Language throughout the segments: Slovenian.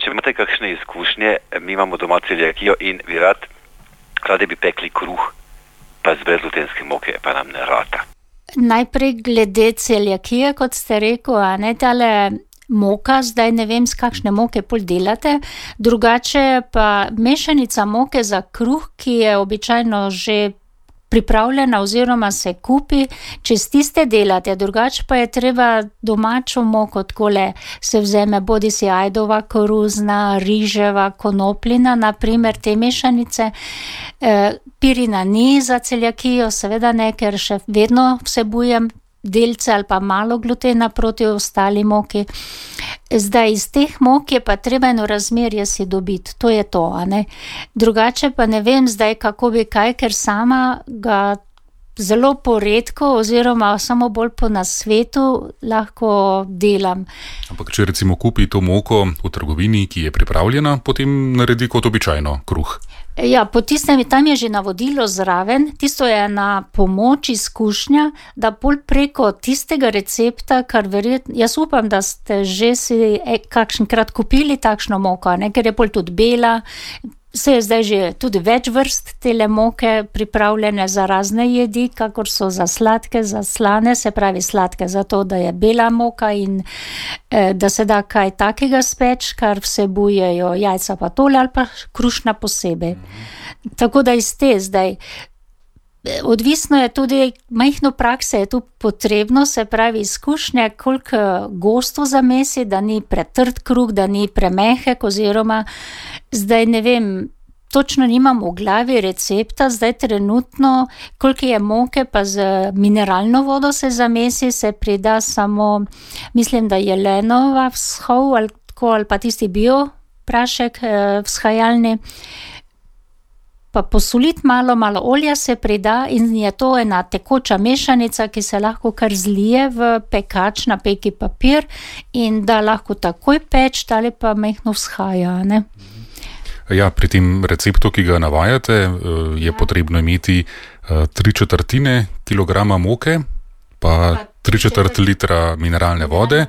če imate kakšne izkušnje, mi imamo doma celjakijo in radi bi pekli kruh, pa z brezglutenske moke, pa nam ne rata. Najprej glede celjakije, kot ste rekel, a ne tale moka, zdaj ne vem, z kakšne moke pol delate, drugače pa mešanica moke za kruh, ki je običajno že pripravljena oziroma se kupi, če s tiste delate, drugače pa je treba domačo moko, takole se vzeme bodisi ajdova, koruzna, riževa, konopljina, naprimer te mešanice. Pirina ni za celjakijo, seveda ne, ker še vedno vsebujem delce ali pa malo glutena proti ostali moki. Zdaj iz teh mok je pa treba eno razmerje si dobiti, to je to, a ne. Drugače pa ne vem zdaj, kako bi kaj, ker sama ga zelo poredko oziroma samo bolj po nasvetu lahko delam. Ampak če recimo kupi to moko v trgovini, ki je pripravljena, potem naredi kot običajno kruh. Ja, po tistem, tam je že navodilo zraven, tisto je na pomoč izkušnja, da bolj preko tistega recepta, kar verjetno, jaz upam, da ste že si kakšenkrat kupili takšno moko, ne, ker je bolj tudi bela, se je zdaj že tudi več vrst tele moke pripravljene za razne jedi, kakor so za sladke, za slane, se pravi sladke zato, da je bela moka in da se da kaj takega speč, kar vsebujejo jajca pa tole ali pa krušna posebej. Tako da iz te zdaj, odvisno je tudi, majhno prakse je tu potrebno, se pravi izkušnje, koliko gosto zamesi, da ni pretrd kruh, da ni premehek oziroma zdaj ne vem, točno nimam v glavi recepta, zdaj trenutno, koliko je moke, pa z mineralno vodo se zamesi, se prida samo, mislim, da jelenova vzhov ali pa tisti bio prašek vzhajalni, pa posoliti malo olja se prida in je to ena tekoča mešanica, ki se lahko kar zlije v pekač na peki papir in da lahko takoj peč, ali pa mehno vzhaja, ne. Ja, pri tem receptu, ki ga navajate, je potrebno imeti 3/4 kilograma moke, pa 3/4 litra mineralne vode,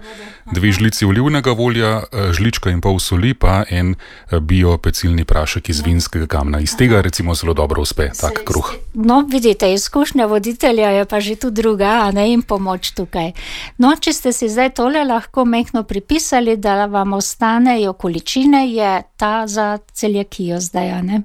2 žlici olivnega olja, žlička in pol soli, pa en bio pecilni prašek iz vinskega kamna. Iz tega recimo zelo dobro uspe tak kruh. No, vidite, izkušnja voditelja je pa že tu druga, a ne, in pomoč tukaj. No, če ste si zdaj tole lahko mehno pripisali, da vam ostanejo količine, je ta za celjakijo zdaj, a ne.